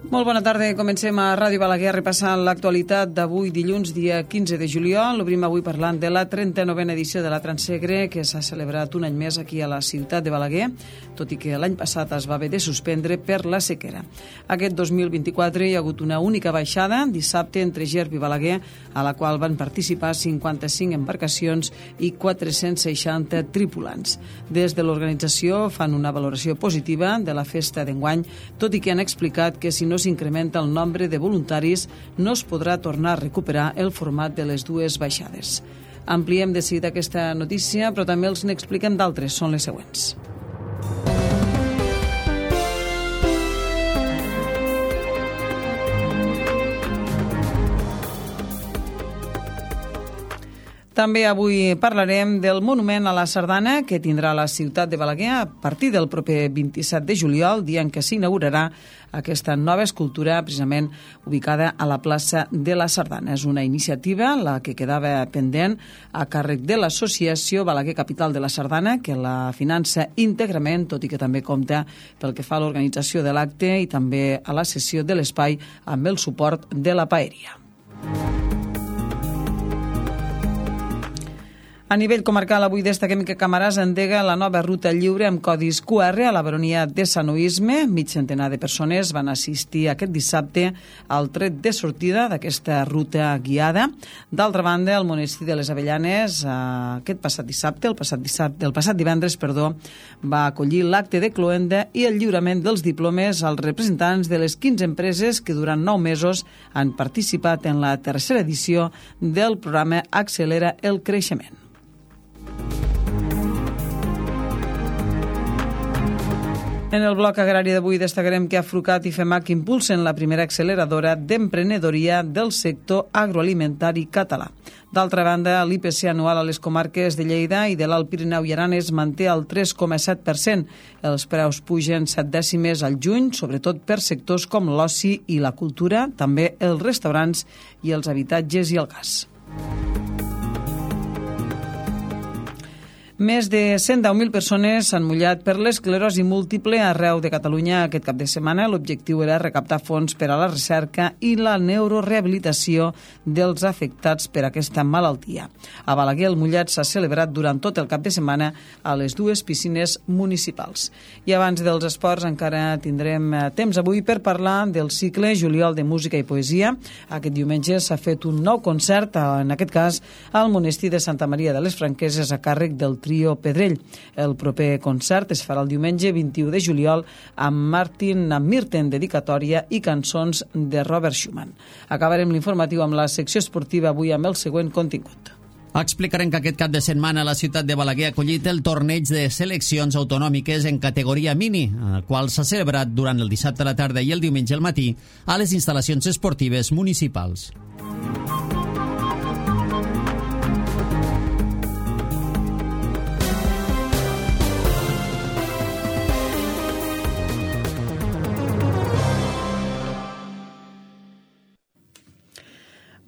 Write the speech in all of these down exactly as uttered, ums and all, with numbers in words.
Molt bona tarda, comencem a Ràdio Balaguer repassant l'actualitat d'avui dilluns, dia quinze de juliol. L'obrim avui parlant de la trenta-novena edició de la Transsegre, que s'ha celebrat un any més aquí a la ciutat de Balaguer, tot i que l'any passat es va haver de suspendre per la sequera. Aquest dos mil vint-i-quatre hi ha hagut una única baixada, dissabte entre Gerb i Balaguer, a la qual van participar cinquanta-cinc embarcacions i quatre-cents seixanta tripulants. Des de l'organització fan una valoració positiva de la festa d'enguany, tot i que han explicat que si no s'incrementa el nombre de voluntaris, no es podrà tornar a recuperar el format de les dues baixades. Ampliem de seguida aquesta notícia, però també els n'expliquem d'altres, són les següents. També avui parlarem del monument a la sardana que tindrà la ciutat de Balaguer a partir del proper vint-i-set de juliol, dia en què s'inaugurarà aquesta nova escultura precisament ubicada a la plaça de la Sardana. És una iniciativa, la que quedava pendent, a càrrec de l'associació Balaguer Capital de la Sardana, que la finança íntegrament, tot i que també compta pel que fa a l'organització de l'acte i també a la cessió de l'espai amb el suport de la paeria. A nivell comarcal, avui destaquem que Camarasa endega la nova ruta lliure amb codis Q R a la baronia de Sanoisme. Mig centenar de persones van assistir aquest dissabte al tret de sortida d'aquesta ruta guiada. D'altra banda, el monestir de les Avellanes, aquest passat dissabte, el passat dissabte, el passat divendres, perdó, va acollir l'acte de cloenda i el lliurament dels diplomes als representants de les quinze empreses que durant nou mesos han participat en la tercera edició del programa Accelera el Creixement. En el bloc agrari d'avui destacarem que Afrucat i FEMAC impulsen la primera acceleradora d'emprenedoria del sector agroalimentari català. D'altra banda, l'I P C anual a les comarques de Lleida i de l'Alt Pirineu i Aran es manté al tres coma set per cent. Els preus pugen set dècimes al juny, sobretot per sectors com l'oci i la cultura, també els restaurants i els habitatges i el gas. Més de cent deu mil persones s'han mullat per l'esclerosi múltiple arreu de Catalunya aquest cap de setmana. L'objectiu era recaptar fons per a la recerca i la neurorehabilitació dels afectats per aquesta malaltia. A Balaguer, el mullat s'ha celebrat durant tot el cap de setmana a les dues piscines municipals. I abans dels esports encara tindrem temps avui per parlar del cicle Juliol de Música i Poesia. Aquest diumenge s'ha fet un nou concert, en aquest cas al monestir de Santa Maria de les Franqueses a càrrec del Trio Pedrell. El proper concert es farà el diumenge vint-i-u de juliol amb Martin Mirten, dedicatòria i cançons de Robert Schumann. Acabarem l'informatiu amb la secció esportiva avui amb el següent contingut. Explicarem que aquest cap de setmana la ciutat de Balaguer ha acollit el torneig de seleccions autonòmiques en categoria mini, el qual s'ha celebrat durant el dissabte a la tarda i el diumenge al matí a les instal·lacions esportives municipals.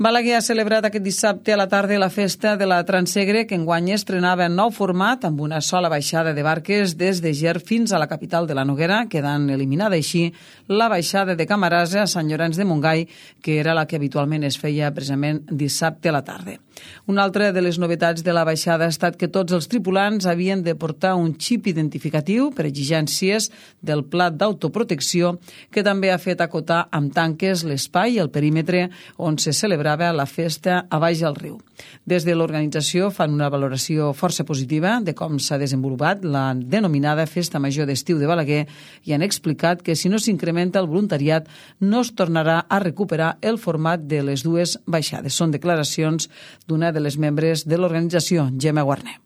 Balaguer ha celebrat aquest dissabte a la tarda la festa de la Transsegre, que enguany estrenava en nou format amb una sola baixada de barques des de Gerb fins a la capital de la Noguera, quedant eliminada així la baixada de Camarasa a Sant Llorenç de Montgai, que era la que habitualment es feia precisament dissabte a la tarda. Una altra de les novetats de la baixada ha estat que tots els tripulants havien de portar un xip identificatiu per exigències del pla d'autoprotecció, que també ha fet acotar amb tanques l'espai i el perímetre on se celebrava la festa a baix al riu. Des de l'organització fan una valoració força positiva de com s'ha desenvolupat la denominada Festa Major d'Estiu de Balaguer i han explicat que si no s'incrementa el voluntariat no es tornarà a recuperar el format de les dues baixades. Són declaracions d'una de les membres de l'organització, Gemma Guarner.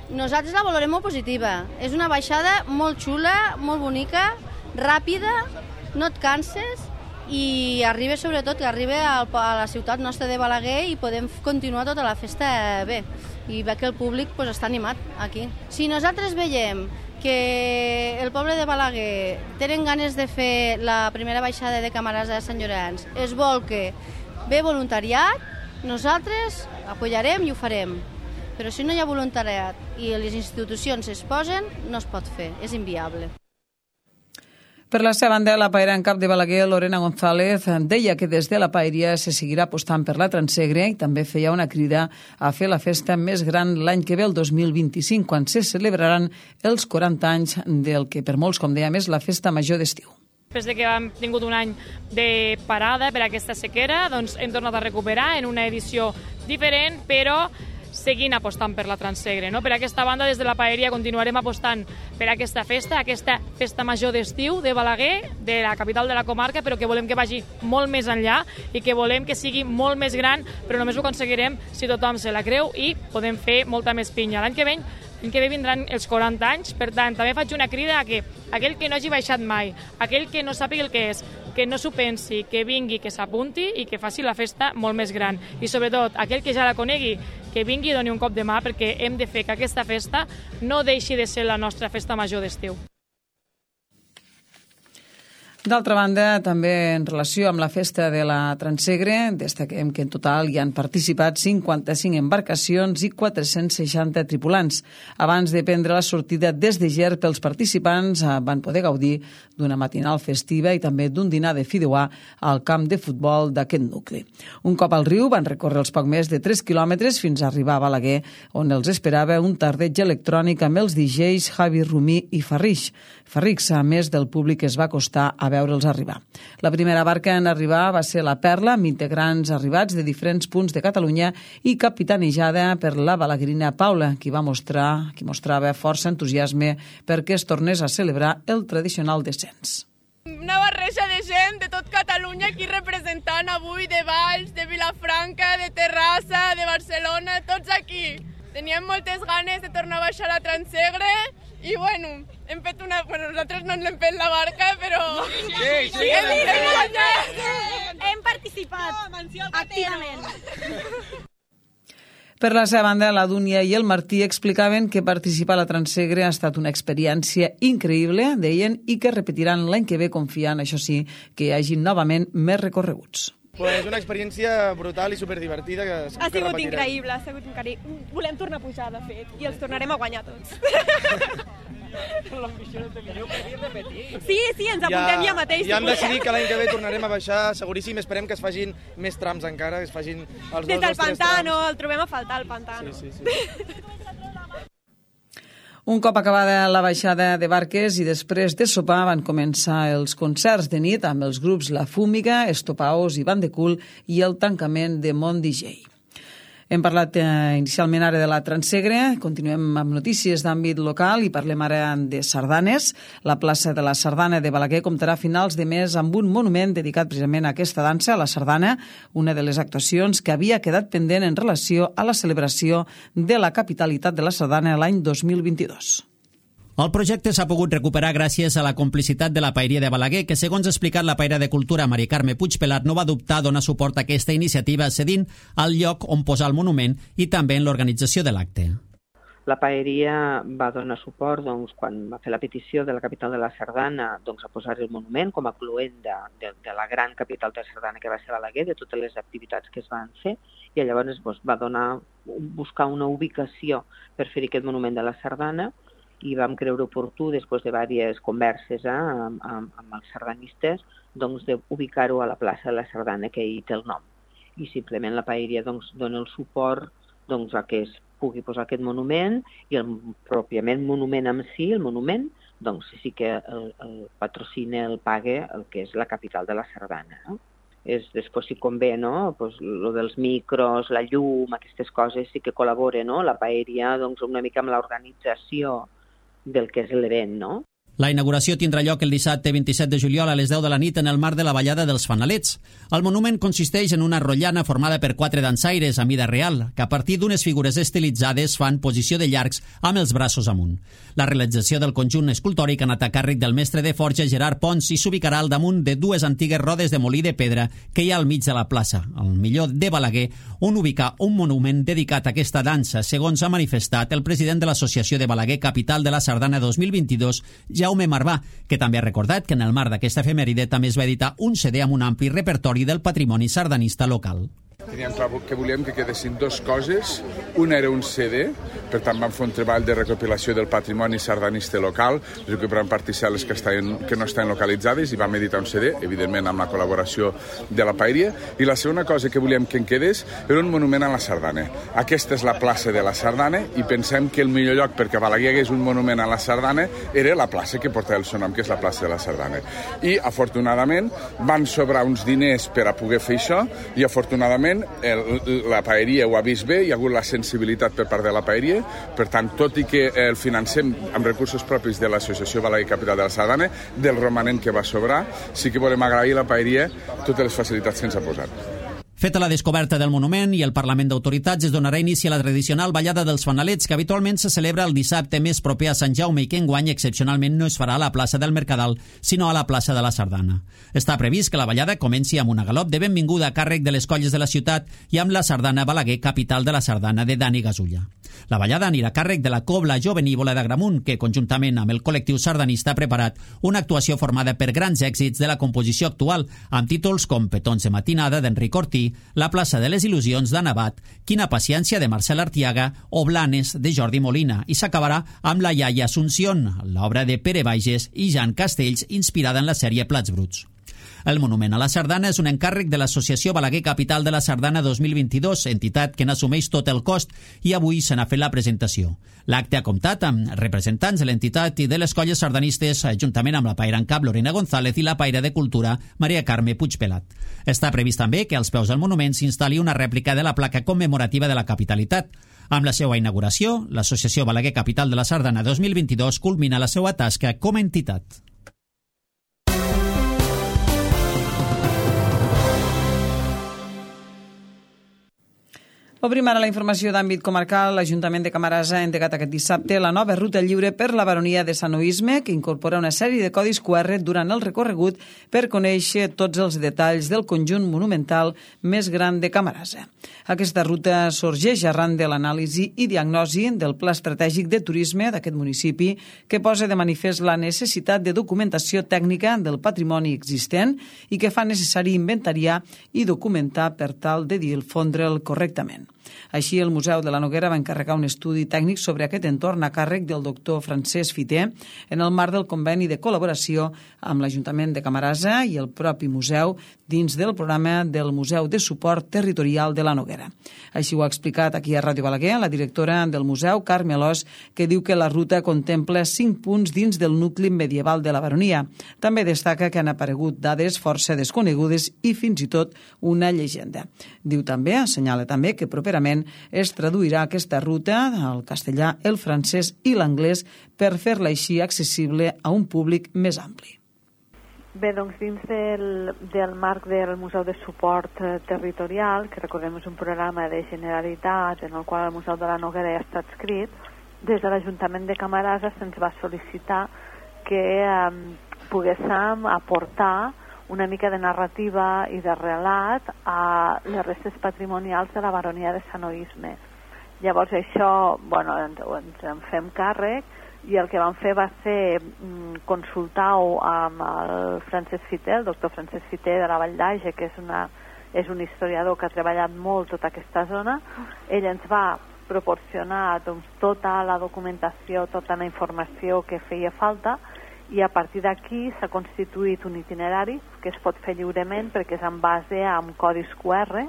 Nosaltres la valorem molt positiva. És una baixada molt xula, molt bonica, ràpida, no et canses i arriba sobretot que arriba a la ciutat nostra de Balaguer i podem continuar tota la festa bé i ve que el públic pues, està animat aquí. Si nosaltres veiem que el poble de Balaguer tenen ganes de fer la primera baixada de Camarasa de Sant Llorenç, es vol que ve voluntariat, nosaltres apoyarem i ho farem. Però si no hi ha voluntariat i les institucions es posen, no es pot fer, és inviable. Per la seva banda, la paera en cap de Balaguer, Lorena González, deia que des de la paeria se seguirà apostant per la Transegre i també feia una crida a fer la festa més gran l'any que ve, el dos mil vint-i-cinc, quan se celebraran els quaranta anys del que per molts, com dèiem, és la festa major d'estiu. Després de que hem tingut un any de parada per aquesta sequera, doncs hem tornat a recuperar en una edició diferent, però seguint apostant per la Transegre. No? Per aquesta banda, des de la paeria, continuarem apostant per aquesta festa, aquesta festa major d'estiu de Balaguer, de la capital de la comarca, però que volem que vagi molt més enllà i que volem que sigui molt més gran, però només ho aconseguirem si tothom se la creu i podem fer molta més pinya. L'any que ve L'any que ve vindran els quaranta anys, per tant, també faig una crida a que aquell que no hagi baixat mai, aquell que no sàpiga el que és, que no s'ho pensi, que vingui, que s'apunti i que faci la festa molt més gran. I sobretot, aquell que ja la conegui, que vingui i doni un cop de mà, perquè hem de fer que aquesta festa no deixi de ser la nostra festa major d'estiu. D'altra banda, també en relació amb la festa de la Transegre, destaquem que en total hi han participat cinquanta-cinc embarcacions i quatre-cents seixanta tripulants. Abans de prendre la sortida des de Ger, els participants van poder gaudir d'una matinal festiva i també d'un dinar de fideuà al camp de futbol d'aquest nucli. Un cop al riu van recórrer els poc més de tres quilòmetres fins a arribar a Balaguer, on els esperava un tardeig electrònic amb els D Js Javi Rumí i Farrix. Farrix, a més del públic, es va acostar a veure'ls arribar. La primera barca en arribar va ser la Perla, amb integrants arribats de diferents punts de Catalunya i capitanejada per la balaguerina Paula, qui va mostrar, qui mostrava força entusiasme perquè es tornés a celebrar el tradicional descens. Una barreja de gent de tot Catalunya aquí representant avui, de Valls, de Vilafranca, de Terrassa, de Barcelona, tots aquí. Teníem moltes ganes de tornar a baixar a la Transegre i, bueno, hem fet una... Bueno, nosaltres no ens hem fet la barca, però... Sí, sí, hem, hem, Hem participat activament. Per la seva banda, la Dúnia i el Martí explicaven que participar a la Transegre ha estat una experiència increïble, deien, i que repetiran l'any que ve confiant, això sí, que hi hagi novament més recorreguts. Pues una experiència brutal i superdivertida que ha sigut increïble, ha sigut increïble. Volem tornar a pujar, de fet, i els tornarem a guanyar tots. L'ambició de millor per dir repetir. Sí, sí, ens apuntem ja, ja mateix. Ja hem decidit que l'any que ve tornarem a baixar, seguríssim, esperem que es fagin més trams encara, que es fagin els dos Des del o tres pantano, trams. el trobem a faltar, el pantano. Sí, sí, sí. Un cop acabada la baixada de barques i després de sopar van començar els concerts de nit amb els grups La Fúmiga, Estopaos i Band de Cul i el tancament de Mont D J. Hem parlat eh, inicialment ara de la Transegre, continuem amb notícies d'àmbit local i parlem ara de sardanes. La plaça de la Sardana de Balaguer comptarà a finals de mes amb un monument dedicat precisament a aquesta dansa, a la sardana, una de les actuacions que havia quedat pendent en relació a la celebració de la capitalitat de la sardana l'any dos mil vint-i-dos. El projecte s'ha pogut recuperar gràcies a la complicitat de la Paeria de Balaguer, que, segons ha explicat la paera de Cultura, Mari Carme Puigpelat, no va dubtar a donar suport a aquesta iniciativa, cedint al lloc on posar el monument i també en l'organització de l'acte. La paeria va donar suport doncs, quan va fer la petició de la capital de la Sardana doncs, a posar el monument com a cluent de, de, de la gran capital de la Sardana que va ser Balaguer, de totes les activitats que es van fer, i llavors doncs, va donar, buscar una ubicació per fer aquest monument de la Sardana, i vam creure oportú, després de diverses converses eh, amb, amb, amb els sardanistes, doncs, d'ubicar-ho a la plaça de la Sardana, que hi té el nom. I simplement la paeria doncs, dona el suport doncs, a que es pugui posar aquest monument, i el pròpiament monument en si, el monument, doncs sí que el, el patrocina, el paga el que és la capital de la Sardana. No? És, després si convé, no? Pues, lo dels micros, la llum, aquestes coses sí que col·laboren, no? La paeria doncs, una mica amb l'organització del que és l'event, no? La inauguració tindrà lloc el dissabte vint-i-set de juliol a les deu de la nit en el marc de la ballada dels Fanalets. El monument consisteix en una rotllana formada per quatre dansaires a mida real, que a partir d'unes figures estilitzades fan posició de llargs amb els braços amunt. La realització del conjunt escultòric ha anat a càrrec del mestre de forja Gerard Pons i s'ubicarà al damunt de dues antigues rodes de molí de pedra que hi ha al mig de la plaça, al millor de Balaguer, on ubicar un monument dedicat a aquesta dansa, segons ha manifestat el president de l'Associació de Balaguer Capital de la Sardana dos mil vint-i-dos, Jaume Marvà, que també ha recordat que en el marc d'aquesta efemèride també es va editar un C D amb un ampli repertori del patrimoni sardanista local. Teníem clar que volíem que quedessin dues coses. Una era un C D, per tant vam fer un treball de recopilació del patrimoni sardanista local, recuperant particel·les que, estaven, que no estaven localitzades, i vam editar un C D, evidentment amb la col·laboració de la Paeria. I la segona cosa que volíem que en quedés era un monument a la sardana. Aquesta és la plaça de la sardana i pensem que el millor lloc perquè a Balaguer hagués un monument a la sardana era la plaça que porta el seu nom, que és la plaça de la sardana. I, afortunadament, van sobrar uns diners per a poder fer això i, afortunadament, el, la Paeria ho ha vist bé, hi ha hagut la sensibilitat per part de la Paeria, per tant, tot i que el financem amb recursos propis de l'Associació Balaguer Capital de la Sardana, del romanent que va sobrar, sí que volem agrair a la Paeria totes les facilitats que ens ha posat. Feta la descoberta del monument i el Parlament d'Autoritats, es donarà inici a la tradicional ballada dels fanalets, que habitualment se celebra el dissabte més proper a Sant Jaume i que enguany excepcionalment no es farà a la plaça del Mercadal, sinó a la plaça de la Sardana. Està previst que la ballada comenci amb una galop de benvinguda a càrrec de les colles de la ciutat i amb la Sardana Balaguer, capital de la Sardana, de Dani Gasulla. La ballada anirà a càrrec de la Cobla Jovenívola d'Agramunt, que conjuntament amb el col·lectiu sardanista ha preparat una actuació formada per grans èxits de la composició actual, amb títols com Petons de matinada d'Enric Ortí, La plaça de les il·lusions d'Anabat, Quina paciència de Marcel Artiaga o Blanes de Jordi Molina, i s'acabarà amb La iaia Asunción, l'obra de Pere Bages i Jan Castells, inspirada en la sèrie Plats bruts. El monument a la Sardana és un encàrrec de l'Associació Balaguer Capital de la Sardana dos mil vint-i-dos, entitat que n'assumeix tot el cost, i avui se n'ha fet la presentació. L'acte ha comptat amb representants de l'entitat i de les colles sardanistes, juntament amb la paira en cap Lorena González i la paira de Cultura Maria Carme Puigpelat. Està previst també que als peus del monument s'instal·li una rèplica de la placa commemorativa de la capitalitat. Amb la seva inauguració, l'Associació Balaguer Capital de la Sardana dos mil vint-i-dos culmina la seva tasca com a entitat. Obrim ara la informació d'àmbit comarcal. L'Ajuntament de Camarasa ha endegat aquest dissabte la nova ruta lliure per la baronia de Sanoisme, que incorpora una sèrie de codis Q R durant el recorregut per conèixer tots els detalls del conjunt monumental més gran de Camarasa. Aquesta ruta sorgeix arran de l'anàlisi i diagnosi del Pla Estratègic de Turisme d'aquest municipi, que posa de manifest la necessitat de documentació tècnica del patrimoni existent i que fa necessari inventariar i documentar per tal de difondre'l correctament. Així, el Museu de la Noguera va encarregar un estudi tècnic sobre aquest entorn a càrrec del doctor Francesc Fiter en el marc del conveni de col·laboració amb l'Ajuntament de Camarasa i el propi museu dins del programa del Museu de Suport Territorial de la Noguera. Així ho ha explicat aquí a Ràdio Balaguer la directora del museu, Carme Alòs, que diu que la ruta contempla cinc punts dins del nucli medieval de la baronia. També destaca que han aparegut dades força desconegudes i fins i tot una llegenda. Diu també, assenyala també, que properament es traduirà aquesta ruta al castellà, el francès i l'anglès per fer-la així accessible a un públic més ampli. Bé, doncs dins del, del marc del Museu de Suport Territorial, que recordem és un programa de Generalitat en el qual el Museu de la Noguera ja està adscrit, des de l'Ajuntament de Camarasa se'ns va sol·licitar que eh, poguéssim aportar una mica de narrativa i de relat a les restes patrimonials de la baronia de Sanoisme. Llavors això, bueno, ens, ens en fem càrrec i el que vam fer va ser mm, consultar-ho amb el Francesc Fiter, el doctor Francesc Fiter de la Vall d'Age, que és, una, és un historiador que ha treballat molt tota aquesta zona. Ell ens va proporcionar doncs, tota la documentació, tota la informació que feia falta, i a partir d'aquí s'ha constituït un itinerari que es pot fer lliurement perquè és en base a codis Q R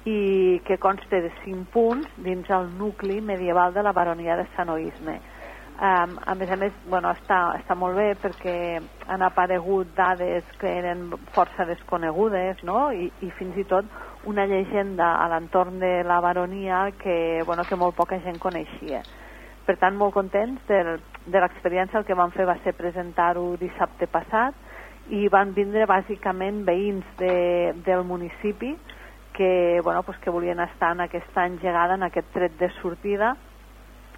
i que consta de cinc punts dins el nucli medieval de la baronia de Sanoisme. Um, a més a més, bueno, està, està molt bé perquè han aparegut dades que eren força desconegudes, no? I, i fins i tot una llegenda a l'entorn de la baronia que, bueno, que molt poca gent coneixia. Per tant, molt contents de, de l'experiència. El que vam fer va ser presentar-ho dissabte passat i van vindre bàsicament veïns de, del municipi que, bueno, pues que volien estar en aquesta engegada, en aquest tret de sortida,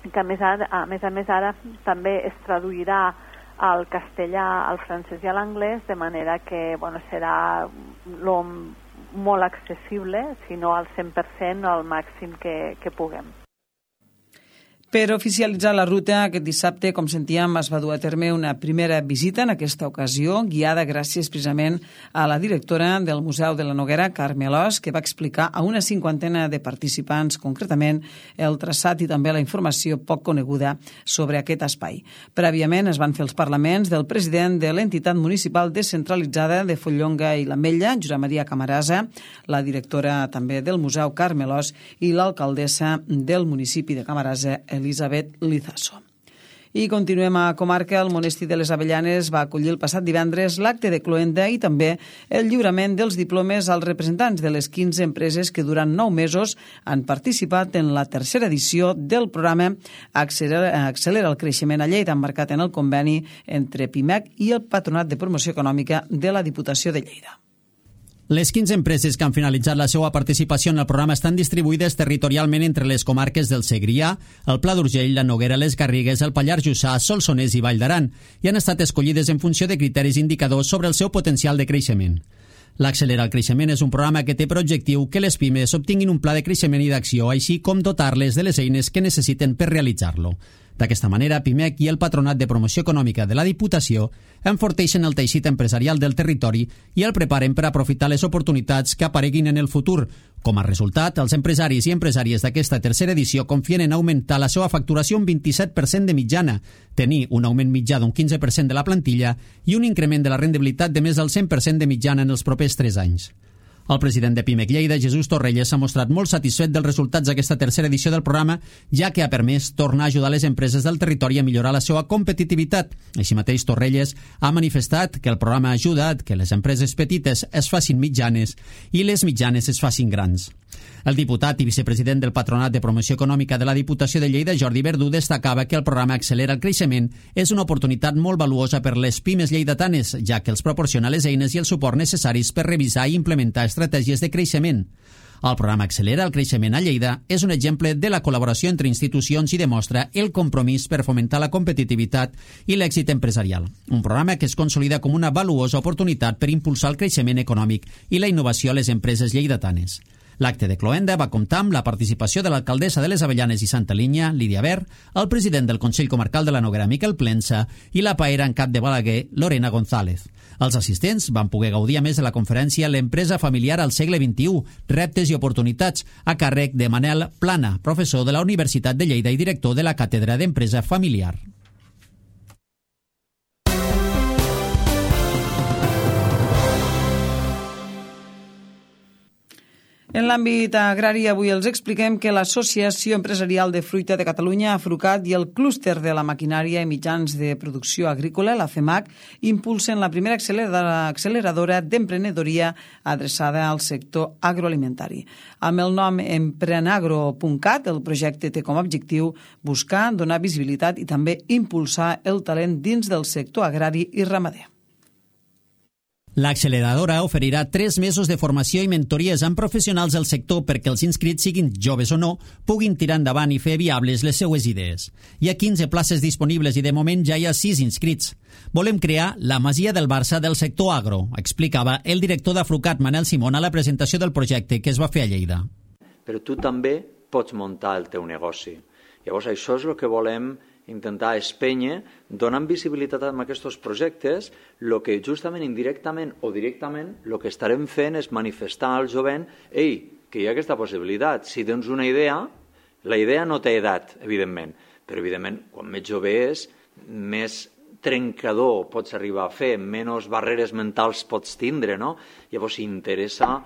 que a més, ara, a més a més ara també es traduirà al castellà, al francès i a l'anglès, de manera que, bueno, serà lo, molt accessible, si no al cent per cent o al màxim que, que puguem. Per oficialitzar la ruta, aquest dissabte, com sentíem, es va dur a terme una primera visita, en aquesta ocasió, guiada gràcies precisament a la directora del Museu de la Noguera, Carme Alòs, que va explicar a una cinquantena de participants, concretament, el traçat i també la informació poc coneguda sobre aquest espai. Prèviament es van fer els parlaments del president de l'entitat municipal descentralitzada de Follonga i l'Ametlla, Josep Maria Camarasa, la directora també del Museu, Carme Alòs, i l'alcaldessa del municipi de Camarasa, Elisabet Lizaso. I continuem a comarca. El Monestir de les Avellanes va acollir el passat divendres l'acte de cloenda i també el lliurament dels diplomes als representants de les quinze empreses que durant nou mesos han participat en la tercera edició del programa Accelera, Accelera el creixement a Lleida, emmarcat en el conveni entre Pimec i el Patronat de Promoció Econòmica de la Diputació de Lleida. Les quinze empreses que han finalitzat la seva participació en el programa estan distribuïdes territorialment entre les comarques del Segrià, el Pla d'Urgell, la Noguera, les Garrigues, el Pallars Jussà, Solsonès i Vall d'Aran i han estat escollides en funció de criteris indicadors sobre el seu potencial de creixement. L'Accelera el creixement és un programa que té per objectiu que les pimes obtinguin un pla de creixement i d'acció, així com dotar-les de les eines que necessiten per realitzar-lo. D'aquesta manera, Pimec i el Patronat de Promoció Econòmica de la Diputació enforteixen el teixit empresarial del territori i el preparen per aprofitar les oportunitats que apareguin en el futur. Com a resultat, els empresaris i empresàries d'aquesta tercera edició confien en augmentar la seva facturació un vint-i-set per cent de mitjana, tenir un augment mitjà d'un quinze per cent de la plantilla i un increment de la rendibilitat de més del cent per cent de mitjana en els propers tres anys. El president de Pimec Lleida, Jesús Torrelles, s'ha mostrat molt satisfet dels resultats d'aquesta tercera edició del programa, ja que ha permès tornar a ajudar les empreses del territori a millorar la seva competitivitat. Així mateix, Torrelles ha manifestat que el programa ha ajudat que les empreses petites es facin mitjanes i les mitjanes es facin grans. El diputat i vicepresident del Patronat de Promoció Econòmica de la Diputació de Lleida, Jordi Verdú, destacava que el programa Accelera el creixement és una oportunitat molt valuosa per les pimes lleidatanes, ja que els proporciona les eines i el suport necessaris per revisar i implementar estratègies de creixement. El programa Accelera el creixement a Lleida és un exemple de la col·laboració entre institucions i demostra el compromís per fomentar la competitivitat i l'èxit empresarial. Un programa que es consolida com una valuosa oportunitat per impulsar el creixement econòmic i la innovació a les empreses lleidatanes. L'acte de cloenda va comptar amb la participació de l'alcaldessa de les Avellanes i Santa Linya, Lídia Ver, el president del Consell Comarcal de la Noguera, Miquel Plensa, i la paera en cap de Balaguer, Lorena González. Els assistents van poder gaudir a més de la conferència L'empresa familiar al segle vint-i-u, reptes i oportunitats, a càrrec de Manel Plana, professor de la Universitat de Lleida i director de la Càtedra d'Empresa Familiar. En l'àmbit agrari, avui els expliquem que l'Associació Empresarial de Fruita de Catalunya, AFRUCAT, i el Clúster de la Maquinària i Mitjans de Producció Agrícola, la FEMAC, impulsen la primera acceleradora d'emprenedoria adreçada al sector agroalimentari. Amb el nom emprenagro punt cat, el projecte té com a objectiu buscar, donar visibilitat i també impulsar el talent dins del sector agrari i ramader. L'acceleradora oferirà tres mesos de formació i mentories amb professionals del sector perquè els inscrits, siguin joves o no, puguin tirar endavant i fer viables les seues idees. Hi ha quinze places disponibles i de moment ja hi ha sis inscrits. Volem crear la Masia del Barça del sector agro, explicava el director d'Afrucat, Manel Simón, a la presentació del projecte que es va fer a Lleida. Però tu també pots muntar el teu negoci. Llavors això és el que volem intentar espènyer, donant visibilitat a aquests projectes, el que justament indirectament o directament el que estarem fent és manifestar al jovent ei, que hi ha aquesta possibilitat. Si tens una idea, la idea no té edat, evidentment, però evidentment, quan més jove és, més trencador pots arribar a fer, menys barreres mentals pots tindre, no? Llavors interessa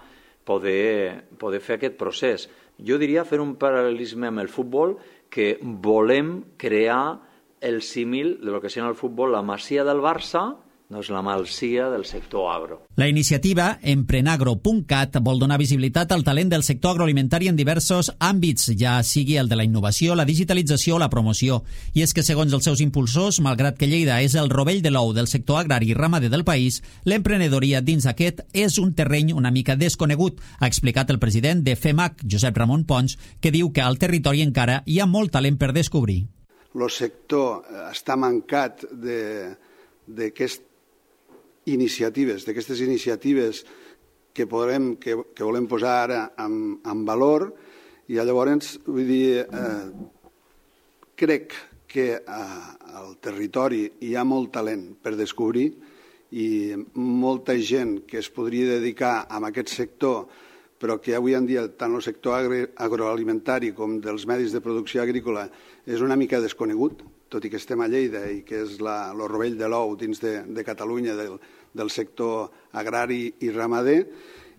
poder, poder fer aquest procés. Jo diria fer un paral·lelisme amb el futbol, que volem crear el símil de lo que serà el futbol, la Masia del Barça, doncs la Masia del sector agro. La iniciativa emprenagro punt cat vol donar visibilitat al talent del sector agroalimentari en diversos àmbits, ja sigui el de la innovació, la digitalització o la promoció. I és que, segons els seus impulsors, malgrat que Lleida és el rovell de l'ou del sector agrari i ramader del país, l'emprenedoria dins aquest és un terreny una mica desconegut, ha explicat el president de FEMAC, Josep Ramon Pons, que diu que al territori encara hi ha molt talent per descobrir. El sector està mancat d'aquest iniciatives, d'aquestes iniciatives que, podrem, que, que volem posar ara en, en valor, i llavors, vull dir, eh, crec que al territori hi ha molt talent per descobrir i molta gent que es podria dedicar a aquest sector, però que avui en dia tant el sector agroalimentari com dels medis de producció agrícola és una mica desconegut, tot i que estem a Lleida i que és el rovell de l'ou dins de, de Catalunya del, del sector agrari i ramader.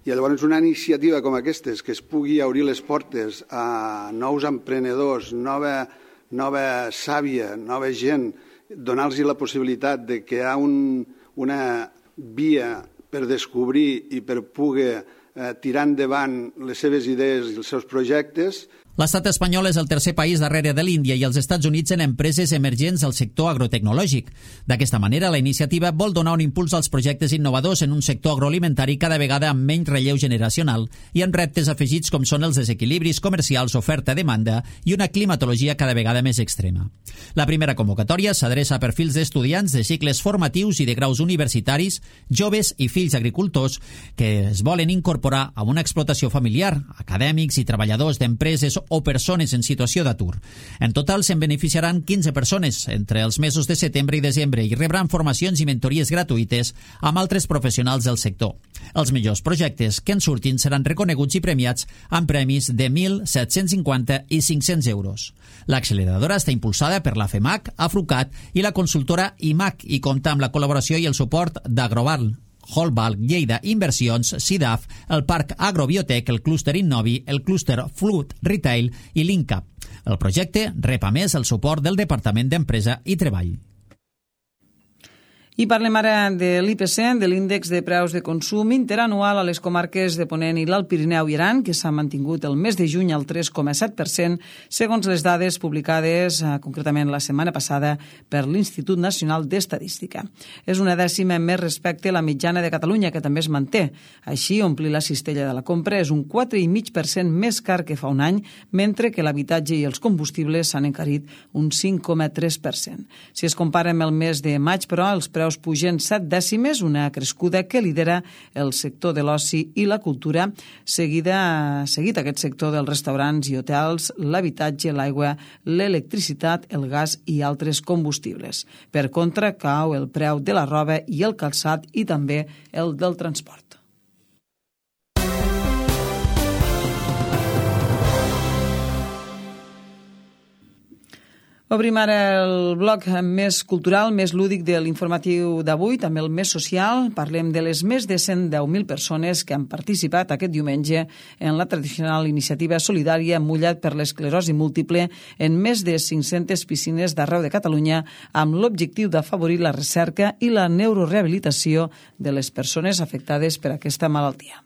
I llavors una iniciativa com aquesta, que es pugui obrir les portes a nous emprenedors, nova, nova sàvia, nova gent, donar-los la possibilitat de que hi ha un, una via per descobrir i per poder eh, tirar endavant les seves idees i els seus projectes. L'estat espanyol és el tercer país darrere de l'Índia i els Estats Units en empreses emergents al sector agrotecnològic. D'aquesta manera, la iniciativa vol donar un impuls als projectes innovadors en un sector agroalimentari cada vegada amb menys relleu generacional i amb reptes afegits com són els desequilibris comercials, oferta-demanda i una climatologia cada vegada més extrema. La primera convocatòria s'adreça a perfils d'estudiants de cicles formatius i de graus universitaris, joves i fills agricultors que es volen incorporar a una explotació familiar, acadèmics i treballadors d'empreses o persones en situació d'atur. En total se'n beneficiaran quinze persones entre els mesos de setembre i desembre i rebran formacions i mentories gratuïtes amb altres professionals del sector. Els millors projectes que en surtin seran reconeguts i premiats amb premis de mil set-cents cinquanta i cinc-cents euros. L'acceleradora està impulsada per la FEMAC, Afrucat i la consultora I M A C i compta amb la col·laboració i el suport d'Agroval, Holbal, Lleida Inversions, SIDAF, el Parc Agrobiotec, el clúster Innovi, el clúster Flut Retail i l'INCAP. El projecte rep a més el suport del Departament d'Empresa i Treball. I parlem ara de l'I P C, de l'índex de preus de consum interanual a les comarques de Ponent i l'Alt Pirineu i Aran, que s'ha mantingut el mes de juny al tres coma set per cent, segons les dades publicades eh, concretament la setmana passada per l'Institut Nacional d'Estadística. És una dècima més respecte a la mitjana de Catalunya, que també es manté. Així, omplir la cistella de la compra és un quatre coma cinc per cent més car que fa un any, mentre que l'habitatge i els combustibles s'han encarit un cinc coma tres per cent. Si es compara amb el mes de maig, però, els preus pugen set dècimes, una crescuda que lidera el sector de l'oci i la cultura, seguida, seguit aquest sector dels restaurants i hotels, l'habitatge, l'aigua, l'electricitat, el gas i altres combustibles. Per contra, cau el preu de la roba i el calçat i també el del transport. Obrim ara el bloc més cultural, més lúdic de l'informatiu d'avui, també el més social. Parlem de les més de cent deu mil persones que han participat aquest diumenge en la tradicional iniciativa solidària Mullat per l'esclerosi múltiple en més de cinc-centes piscines d'arreu de Catalunya amb l'objectiu d'afavorir la recerca i la neurorehabilitació de les persones afectades per aquesta malaltia.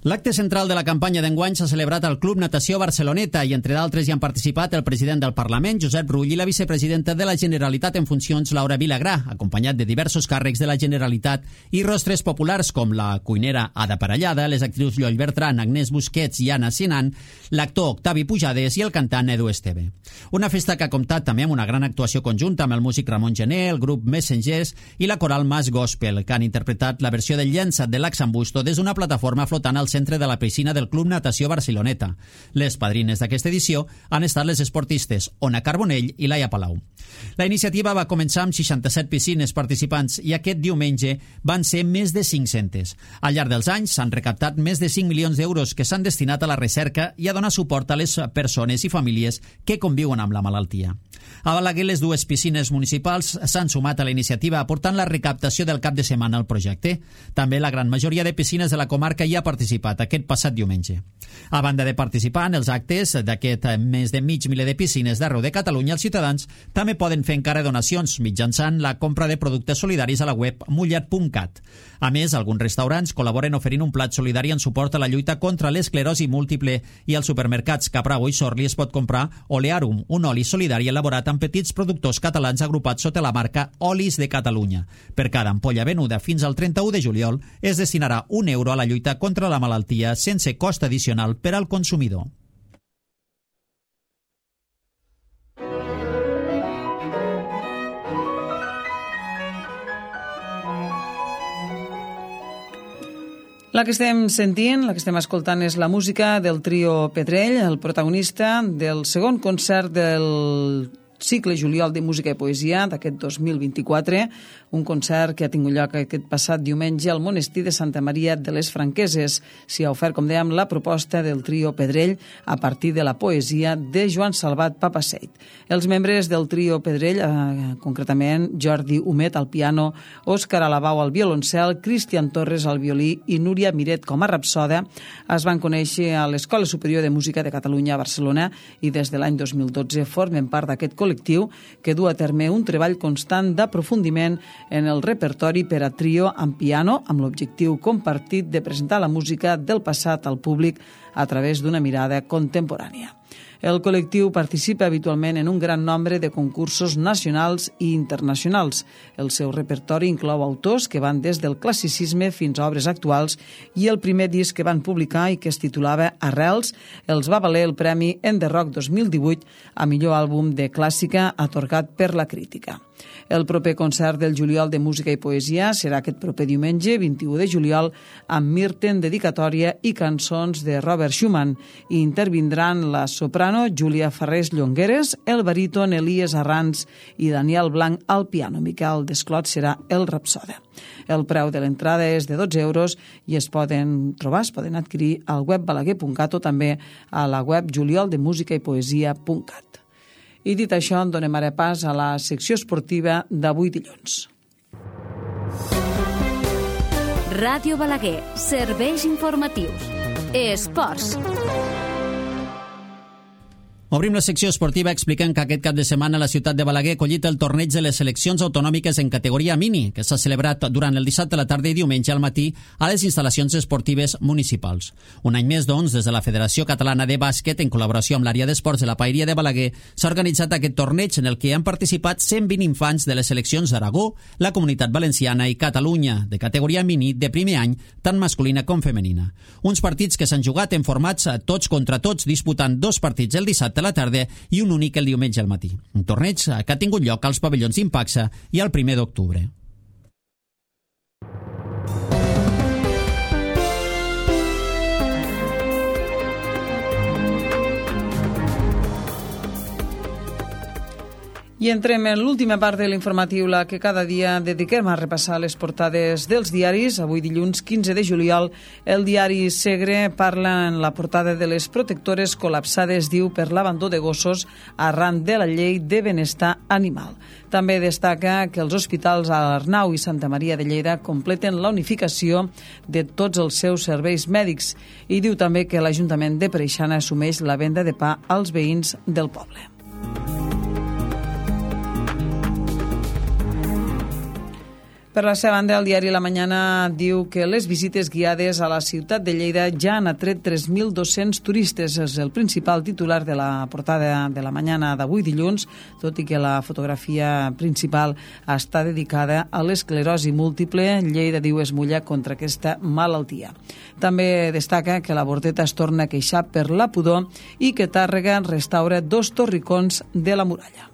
L'acte central de la campanya d'enguany s'ha celebrat al Club Natació Barceloneta i, entre d'altres, hi han participat el president del Parlament, Josep Rull, i la vicepresidenta de la Generalitat en funcions, Laura Vilagrà, acompanyat de diversos càrrecs de la Generalitat i rostres populars com la cuinera Ada Parellada, les actrius Lloll Bertran, Agnès Busquets i Anna Sinan, l'actor Octavi Pujades i el cantant Edu Esteve. Una festa que ha comptat també amb una gran actuació conjunta amb el músic Ramon Gené, el grup Messengers i la coral Mas Gospel, que han interpretat la versió del llençat de l'Axambusto des d'una plataforma flotant al centre de la piscina del Club Natació Barceloneta. Les padrines d'aquesta edició han estat les esportistes Ona Carbonell i Laia Palau. La iniciativa va començar amb seixanta-set piscines participants i aquest diumenge van ser més de cinc-centes. Al llarg dels anys s'han recaptat més de cinc milions d'euros que s'han destinat a la recerca i a donar suport a les persones i famílies que conviuen amb la malaltia. A Balaguer, les dues piscines municipals s'han sumat a la iniciativa aportant la recaptació del cap de setmana al projecte. També la gran majoria de piscines de la comarca hi ha participat aquest passat diumenge. A banda de participar en els actes d'aquest més de mig miler de piscines d'arreu de Catalunya, els ciutadans també poden fer encara donacions mitjançant la compra de productes solidaris a la web mullat punt cat. A més, alguns restaurants col·laboren oferint un plat solidari en suport a la lluita contra l'esclerosi múltiple i als supermercats Capravo i Sorli es pot comprar Olearum, un oli solidari elaborat amb petits productors catalans agrupats sota la marca Olis de Catalunya. Per cada ampolla venuda fins al trenta-u de juliol es destinarà un euro a la lluita contra la malaltia sense cost addicional per al consumidor. La que estem sentint, la que estem escoltant és la música del trio Pedrell, el protagonista del segon concert del cicle Juliol de Música i Poesia d'aquest dos mil vint-i-quatre, un concert que ha tingut lloc aquest passat diumenge al monestir de Santa Maria de les Franqueses. S'hi ha ofert, com dèiem, la proposta del trio Pedrell a partir de la poesia de Joan Salvat Papaseit. Els membres del trio Pedrell, eh, concretament Jordi Humet al piano, Òscar Alabau al violoncel, Cristian Torres al violí i Núria Miret com a rapsoda, es van conèixer a l'Escola Superior de Música de Catalunya a Barcelona i des de l'any dos mil dotze formen part d'aquest col·lectiu que du a terme un treball constant d'aprofundiment en el repertori per a trio amb piano, amb l'objectiu compartit de presentar la música del passat al públic a través d'una mirada contemporània. El col·lectiu participa habitualment en un gran nombre de concursos nacionals i internacionals. El seu repertori inclou autors que van des del classicisme fins a obres actuals i el primer disc que van publicar i que es titulava Arrels els va valer el Premi En The Rock dos mil divuit a millor àlbum de clàssica atorgat per la crítica. El proper concert del Juliol de Música i Poesia serà aquest proper diumenge, vint-i-u de juliol, amb Mirten, dedicatòria i cançons de Robert Schumann. I intervindran la soprano Júlia Farrés Llongueres, el baríton Elies Arranz i Daniel Blanc al piano. Miquel Desclot serà el rapsoda. El preu de l'entrada és de dotze euros i es poden trobar, es poden adquirir al web balaguer punt cat o també a la web juliol de música i poesia punt cat. I dit això, en donem ara pas a la secció esportiva d'avui dilluns. Ràdio Balaguer, serveis informatius. Esports. Obrim la secció esportiva explicant que aquest cap de setmana la ciutat de Balaguer ha acollit el torneig de les seleccions autonòmiques en categoria mini, que s'ha celebrat durant el dissabte a la tarda i diumenge al matí a les instal·lacions esportives municipals. Un any més, doncs, des de la Federació Catalana de Bàsquet, en col·laboració amb l'àrea d'esports de la Paeria de Balaguer, s'ha organitzat aquest torneig en el que han participat cent vint infants de les seleccions d'Aragó, la Comunitat Valenciana i Catalunya, de categoria mini de primer any, tant masculina com femenina. Uns partits que s'han jugat en formats tots contra tots, disputant dos partits el dissabte a la tarda i un únic el diumenge al matí. Un torneig que ha tingut lloc als pavellons Impaxa i el primer d'octubre. I entrem en l'última part de l'informatiu, la que cada dia dediquem a repassar les portades dels diaris. Avui, dilluns quinze de juliol, el diari Segre parla en la portada de les protectores col·lapsades, diu, per l'abandó de gossos arran de la llei de benestar animal. També destaca que els hospitals a l'Arnau i Santa Maria de Lleida completen la unificació de tots els seus serveis mèdics i diu també que l'Ajuntament de Preixana assumeix la venda de pa als veïns del poble. Per la seva banda, el diari La Mañana diu que les visites guiades a la ciutat de Lleida ja han atret tres mil dos-cents turistes. És el principal titular de la portada de La Mañana d'avui dilluns, tot i que la fotografia principal està dedicada a l'esclerosi múltiple. Lleida, diu, es mulla contra aquesta malaltia. També destaca que la Bordeta es torna a queixar per la pudor i que Tàrrega restaura dos torricons de la muralla.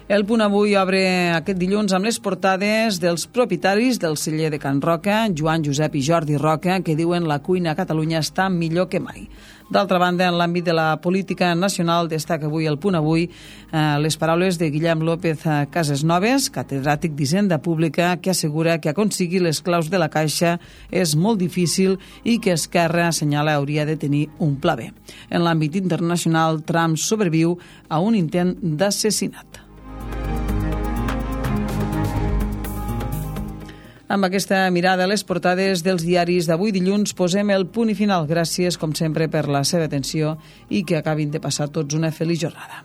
El Punt Avui obre aquest dilluns amb les portades dels propietaris del celler de Can Roca, Joan, Josep i Jordi Roca, que diuen la cuina a Catalunya està millor que mai. D'altra banda, en l'àmbit de la política nacional, destaca avui el Punt Avui eh, les paraules de Guillem López Casesnoves, catedràtic d'Hisenda Pública, que assegura que aconseguir les claus de la Caixa és molt difícil i que Esquerra, assenyala, hauria de tenir un pla B. En l'àmbit internacional, Trump sobreviu a un intent d'assassinat. Amb aquesta mirada a les portades dels diaris d'avui dilluns posem el punt i final. Gràcies, com sempre, per la seva atenció i que acabin de passar tots una feliç jornada.